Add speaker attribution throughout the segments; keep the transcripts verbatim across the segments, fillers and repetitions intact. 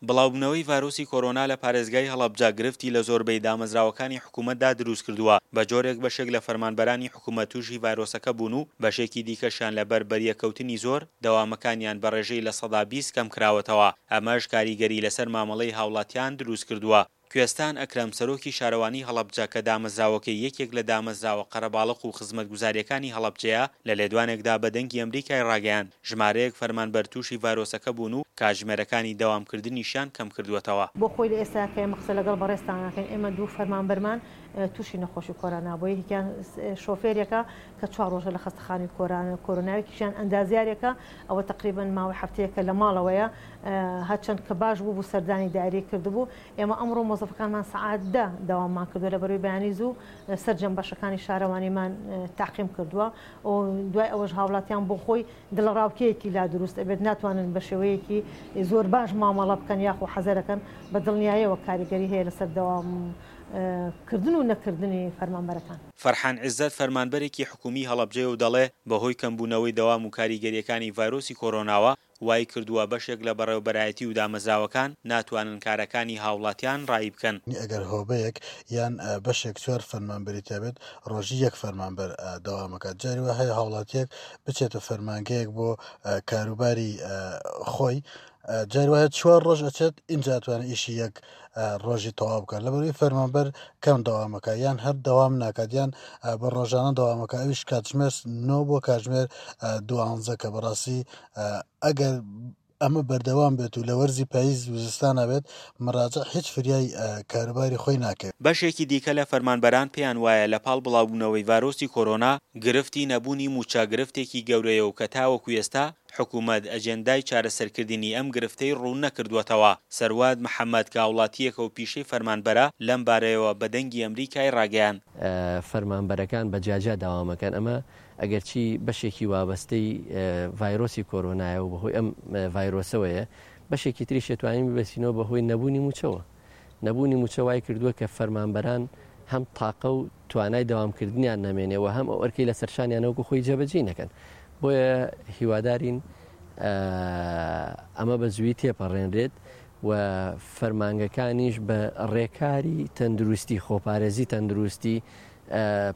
Speaker 1: بڵاوبوونەوەی ڤایرۆسی کۆرۆنا لە پارێزگای هەڵەبجە گرفتی لە زۆربەی دامەزراوەکانی حکوومەتدا دروستکردووە، بە جۆرێک بەشێک لە فەرمانبەرانی حکوومەت تووشی ڤایرۆسەکە بوون و بەشێکی دیکەشیان لەبەر بەریەککەوتنی زۆر، دەوامەکانیان بە ڕێژەی لە سەدا بیست کەمکراوەتەوە، ئەمەش کاریگەری لەسەر مامەڵەی هاوڵاتیان دروستکردووە. کوێستان ئەکرەم، سەرۆکی شارەوانی هەڵەبجە کە دامەزراوەکەی یەکێک لە دامەزراوە قەرەباڵغ و خزمەتگوزارییەکانی هەڵەبجەیە، لە لێدوانێکدا بە دەنگی ئەمریکای ڕاگەیاند، ژمارەیەک فەرمانبەر تووشی ڤایرۆسەکە بوون و کاتژمێرەکانی دەوامکردنیشیان کەمکردووەتەوە.
Speaker 2: بۆ خۆی لە ئێستا کە ئێمە قسە لەگەڵ بەڕێزتان ئەکەین، ئێمە دوو فەرمانبەرمان تووشی نەخۆشی کۆرۆنا بووە، یەکێکیان شۆفێرێکە کە چوار ڕۆژە لە خەستەخانەی کۆرۆنا، یەکێکیان ئەندازیارێکە ئەوە تقریبا ماوەی هەفتەیەکە لە ماڵەوەیە، هەرچەند کە باش بوو بوو سەردانی دایرەی کردبوو. ئێمە ئەمڕۆ مۆزەفەکانمان سەعات دە دەواممان کردووە، لە بەروی بەیانی زوو سەرجەم بەشەکانی شارەوانیمان تاقیم کردووە و دوای ئەوەش هاوڵاتیان بۆ خۆی دڵەڕاوکێیەکی لا دروست ئەبێت، ناتوانن بە شێوەیەکی زۆر باش مامەڵە بکەن یاخۆ حەزەرەکەن. بە دڵنیاییەوە کاریگەری هەیە لەسەر دەوام کردن و نەکردنی فەرمانبەرەکان.
Speaker 1: فەرحان عیزەت فەرمانبەرێکی حکومی هەڵەبجەیە و دەڵێ بەهۆی کەمبوونەوەی دەوام و کاریگەرییەکانی ڤایرۆسی کۆرۆناوە وای کردووە بەشێک لە بەڕێوەبەرایەتی و دامەزراوەکان ناتوانن کارەکانی هاوڵاتیان ڕایی بکەن.
Speaker 3: ئەگەر هۆبەیەک یان بەشێک چوار فەرمانبەری تابێت ڕۆژی یەک فەرمانبەر دەوامەکات. جاری وا هەیە هاوڵاتیەک بچێتە فەرمانگەیەک بۆ کاروباری خۆی، جاری وایە چوار ڕۆژ ئەچێت ئینجا ئەتوانێت ئیشی یەک ڕۆژی تەواو بکات. لەبەرئەوەی فەرمانبەر کەم دەوامەکە یان هەر دەوام ناکات یان بە ڕۆژانە دەوامەکە، ئەویش کاتژمێر نۆ بۆ کاتژمێر دوانزە، کە بەڕاستی ئەگەر ئەمە بەردەوام بێت و لە وەرزی پاییز و زستانە بێت مراجع هیچ فریای کاروباری خۆی ناکەوێت.
Speaker 1: بەشێکی دیکە لە فەرمانبەران پێیان وایە لە پاڵ بڵاوبوونەوەی ڤایرۆسی کۆرۆنا، گرفتی نەبوونی مووچە گرفتێکی گەورەیە و کە تاوەکو ئێستا حکوومەت ئەجێندای چارەسەرکردنی ئەم گرفتەی ڕوون نەکردووەتەوە. سەروات محەمەد کە هاوڵاتییەکە و پیشەی فەرمانبەرە، لەم بارەیەوە بە دەنگی ئەمریکای ڕاگەیاند.
Speaker 4: فەرمانبەرەکان بە جیاجیا داوامەکەن، ئەمە ئەگەرچی بەشێکی وابەستەی ڤایرۆسی کۆرۆنایە و بەهۆی ئەم ڤایرۆسەوەیە، بەشێکی تریش ئەتوانین ببەستینەوە بەهۆی نەبوونی مووچەوە. نەبوونی مووچە وای کردووە کە فەرمانبەران هەم تاقە و توانای دەوامکردنیان نەمێنێ و هەم ئەو ئەرکەی لەسەر شانیانە وەکو خۆی جێبەجێ نەکەن. بۆیە هیوادارین ئەمە بە زووی تێپەڕێنرێت و فەرمانگەکانیش بە ڕێکاری تەندروستی، خۆپارێزی تەندروستی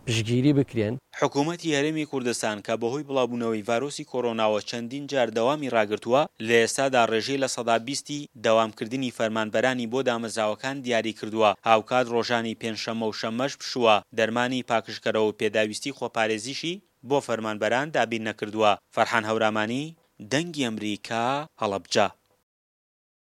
Speaker 4: پشتگیری بکرێن.
Speaker 1: حکوومەتی هەرێمی کوردستان کە بەهۆی بڵاوبوونەوەی ڤایرۆسی کۆرۆناوە چەندین جار دەوامی ڕاگرتووە، لە ئێستادا ڕێژەی لە سەدا بیستی دەوامکردنی فەرمانبەرانی بۆ دامەزراوەکان دیاری کردووە، هاوکات ڕۆژانی پێنجشەممە و شەممەش پشووە، دەرمانی پاکژکەرەوە و پێداویستی خۆپارێزیشی بۆ فەرمانبەران دابین نەکردووە. فەرحان هەورامانی، دەنگی ئەمریکا، هەڵەبجە.